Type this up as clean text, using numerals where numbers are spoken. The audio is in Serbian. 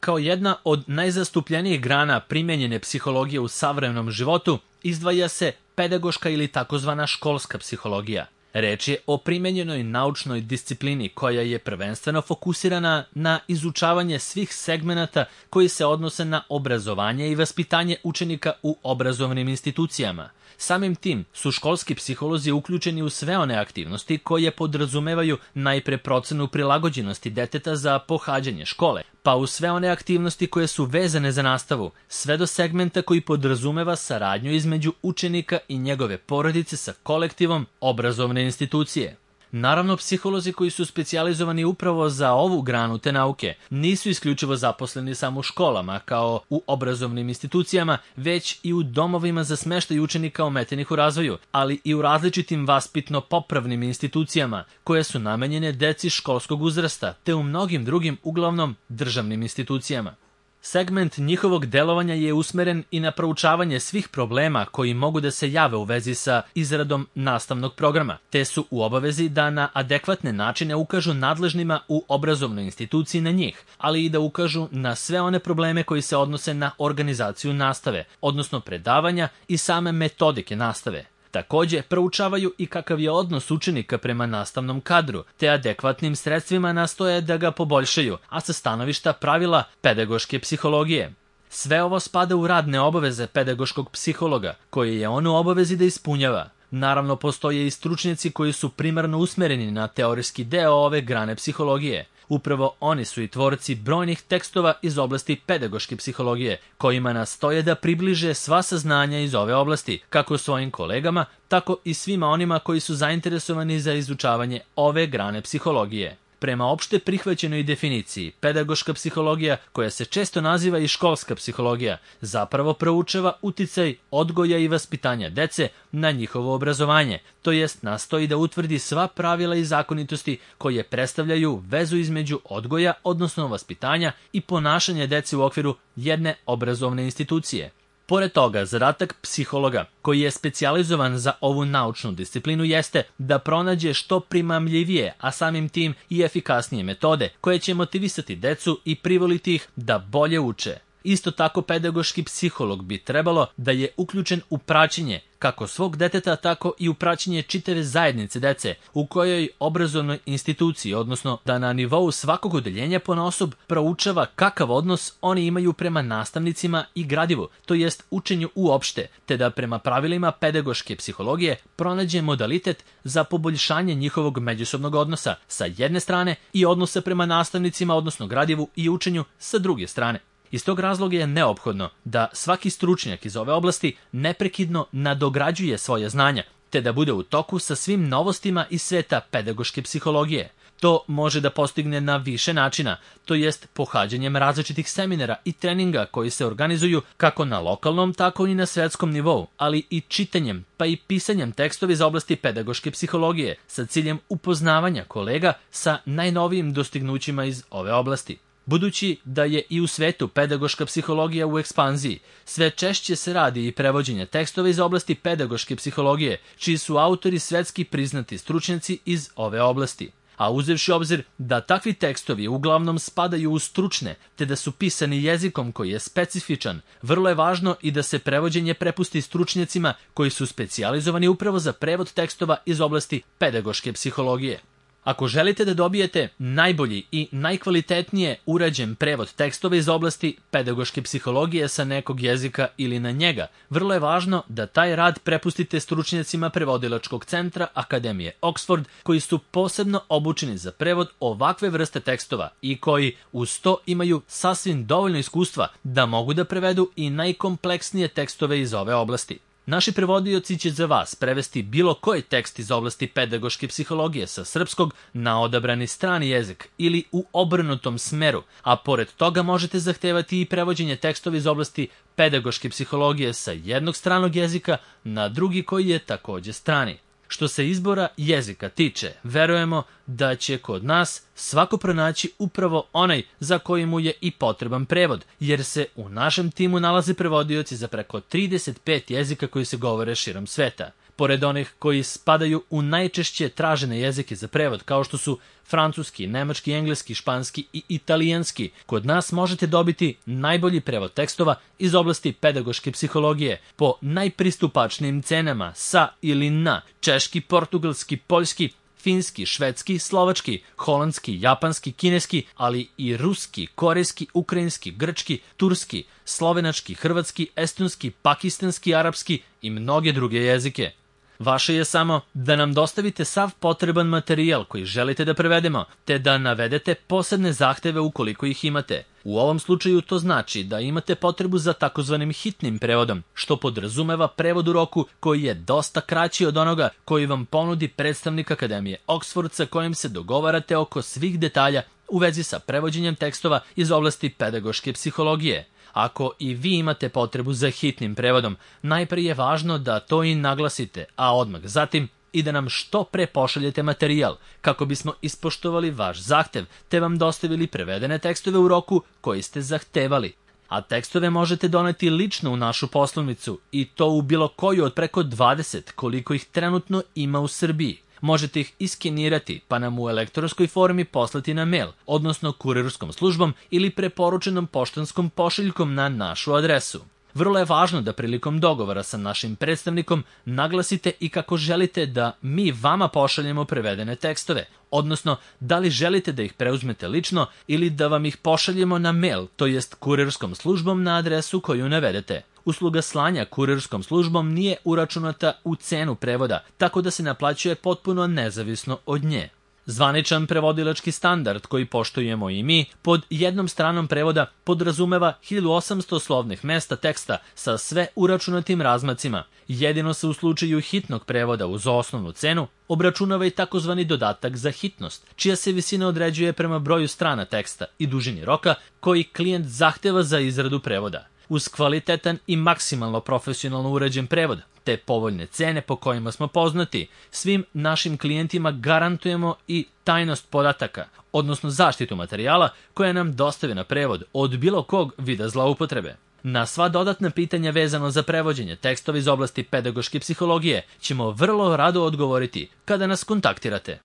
Kao jedna od najzastupljenijih grana primenjene psihologije u savremenom životu izdvaja se pedagoška ili takozvana školska psihologija. Reč je o primenjenoj naučnoj disciplini koja je prvenstveno fokusirana na izučavanje svih segmenata koji se odnose na obrazovanje i vaspitanje učenika u obrazovnim institucijama. Samim tim su školski psiholozi uključeni u sve one aktivnosti koje podrazumevaju najpre procenu prilagođenosti deteta za pohađanje škole, pa u sve one aktivnosti koje su vezane za nastavu, sve do segmenta koji podrazumeva saradnju između učenika i njegove porodice sa kolektivom obrazovne institucije. Naravno, psiholozi koji su specijalizovani upravo za ovu granu te nauke nisu isključivo zaposleni samo u školama kao u obrazovnim institucijama, već i u domovima za smeštaj učenika ometenih u razvoju, ali i u različitim vaspitno-popravnim institucijama koje su namenjene deci školskog uzrasta, te u mnogim drugim, uglavnom državnim institucijama. Segment njihovog delovanja je usmeren i na proučavanje svih problema koji mogu da se jave u vezi sa izradom nastavnog programa, te su u obavezi da na adekvatne načine ukažu nadležnima u obrazovnoj instituciji na njih, ali i da ukažu na sve one probleme koji se odnose na organizaciju nastave, odnosno predavanja i same metodike nastave. Takođe, proučavaju i kakav je odnos učenika prema nastavnom kadru, te adekvatnim sredstvima nastoje da ga poboljšaju, a sa stanovišta pravila pedagoške psihologije. Sve ovo spada u radne obaveze pedagoškog psihologa, koje je on u obavezi da ispunjava. Naravno, postoje i stručnjaci koji su primarno usmereni na teorijski deo ove grane psihologije. Upravo oni su i tvorci brojnih tekstova iz oblasti pedagoške psihologije, kojima nastoje da približe sva saznanja iz ove oblasti, kako svojim kolegama, tako i svima onima koji su zainteresovani za izučavanje ove grane psihologije. Prema opšte prihvaćenoj definiciji, pedagoška psihologija, koja se često naziva i školska psihologija, zapravo proučava uticaj odgoja i vaspitanja dece na njihovo obrazovanje, to jest nastoji da utvrdi sva pravila i zakonitosti koje predstavljaju vezu između odgoja, odnosno vaspitanja i ponašanja dece u okviru jedne obrazovne institucije. Pored toga, zadatak psihologa, koji je specijalizovan za ovu naučnu disciplinu, jeste da pronađe što primamljivije, a samim tim i efikasnije metode koje će motivisati decu i privoliti ih da bolje uče. Isto tako, pedagoški psiholog bi trebalo da je uključen u praćenje kako svog deteta, tako i u praćenje čitave zajednice dece u kojoj obrazovnoj instituciji, odnosno da na nivou svakog odeljenja ponaosob proučava kakav odnos oni imaju prema nastavnicima i gradivu, to jest učenju uopšte, te da prema pravilima pedagoške psihologije pronađe modalitet za poboljšanje njihovog međusobnog odnosa sa jedne strane i odnosa prema nastavnicima, odnosno gradivu i učenju sa druge strane. Iz tog razloga je neophodno da svaki stručnjak iz ove oblasti neprekidno nadograđuje svoje znanja, te da bude u toku sa svim novostima iz sveta pedagoške psihologije. To može da postigne na više načina, to jest pohađanjem različitih seminara i treninga koji se organizuju kako na lokalnom, tako i na svetskom nivou, ali i čitanjem pa i pisanjem tekstova iz oblasti pedagoške psihologije sa ciljem upoznavanja kolega sa najnovijim dostignućima iz ove oblasti. Budući da je i u svetu pedagoška psihologija u ekspanziji, sve češće se radi i prevođenje tekstova iz oblasti pedagoške psihologije, čiji su autori svetski priznati stručnjaci iz ove oblasti. A uzevši obzir da takvi tekstovi uglavnom spadaju u stručne, te da su pisani jezikom koji je specifičan, vrlo je važno i da se prevođenje prepusti stručnjacima koji su specijalizovani upravo za prevod tekstova iz oblasti pedagoške psihologije. Ako želite da dobijete najbolji i najkvalitetnije urađen prevod tekstova iz oblasti pedagoške psihologije sa nekog jezika ili na njega, vrlo je važno da taj rad prepustite stručnjacima prevodilačkog centra Akademije Oxford, koji su posebno obučeni za prevod ovakve vrste tekstova i koji uz to imaju sasvim dovoljno iskustva da mogu da prevedu i najkompleksnije tekstove iz ove oblasti. Naši prevodioci će za vas prevesti bilo koji tekst iz oblasti pedagoške psihologije sa srpskog na odabrani strani jezik ili u obrnutom smeru, a pored toga možete zahtevati i prevođenje tekstova iz oblasti pedagoške psihologije sa jednog stranog jezika na drugi koji je takođe strani. Što se izbora jezika tiče, verujemo da će kod nas svako pronaći upravo onaj za koji mu je i potreban prevod, jer se u našem timu nalaze prevodioci za preko 35 jezika koji se govore širom sveta. Pored onih koji spadaju u najčešće tražene jezike za prevod, kao što su francuski, nemački, engleski, španski i italijanski, kod nas možete dobiti najbolji prevod tekstova iz oblasti pedagoške psihologije po najpristupačnijim cenama sa ili na češki, portugalski, poljski, finski, švedski, slovački, holandski, japanski, kineski, ali i ruski, korejski, ukrajinski, grčki, turski, slovenački, hrvatski, estonski, pakistanski, arapski i mnoge druge jezike. Vaše je samo da nam dostavite sav potreban materijal koji želite da prevedemo, te da navedete posebne zahteve ukoliko ih imate. U ovom slučaju to znači da imate potrebu za takozvanim hitnim prevodom, što podrazumeva prevod u roku koji je dosta kraći od onoga koji vam ponudi predstavnik Akademije Oxford sa kojim se dogovarate oko svih detalja u vezi sa prevođenjem tekstova iz oblasti pedagoške psihologije. Ako i vi imate potrebu za hitnim prevodom, najprije je važno da to i naglasite, a odmah zatim i da nam što pre pošaljete materijal, kako bismo ispoštovali vaš zahtev, te vam dostavili prevedene tekstove u roku koji ste zahtevali. A tekstove možete doneti lično u našu poslovnicu i to u bilo koju od preko 20 koliko ih trenutno ima u Srbiji. Možete ih iskenirati pa nam u elektronskoj formi poslati na mail, odnosno kurirskom službom ili preporučenom poštanskom pošiljkom na našu adresu. Vrlo je važno da prilikom dogovora sa našim predstavnikom naglasite i kako želite da mi vama pošaljemo prevedene tekstove, odnosno da li želite da ih preuzmete lično ili da vam ih pošaljemo na mail, to jest kurirskom službom na adresu koju navedete. Usluga slanja kurirskom službom nije uračunata u cenu prevoda, tako da se naplaćuje potpuno nezavisno od nje. Zvaničan prevodilački standard koji poštujemo i mi pod jednom stranom prevoda podrazumeva 1800 slovnih mesta teksta sa sve uračunatim razmacima. Jedino se u slučaju hitnog prevoda uz osnovnu cenu obračunava i takozvani dodatak za hitnost, čija se visina određuje prema broju strana teksta i dužini roka koji klijent zahteva za izradu prevoda. Uz kvalitetan i maksimalno profesionalno urađen prevod, te povoljne cene po kojima smo poznati, svim našim klijentima garantujemo i tajnost podataka, odnosno zaštitu materijala koja nam dostave na prevod od bilo kog vida zloupotrebe. Na sva dodatna pitanja vezano za prevođenje tekstova iz oblasti pedagoške psihologije ćemo vrlo rado odgovoriti kada nas kontaktirate.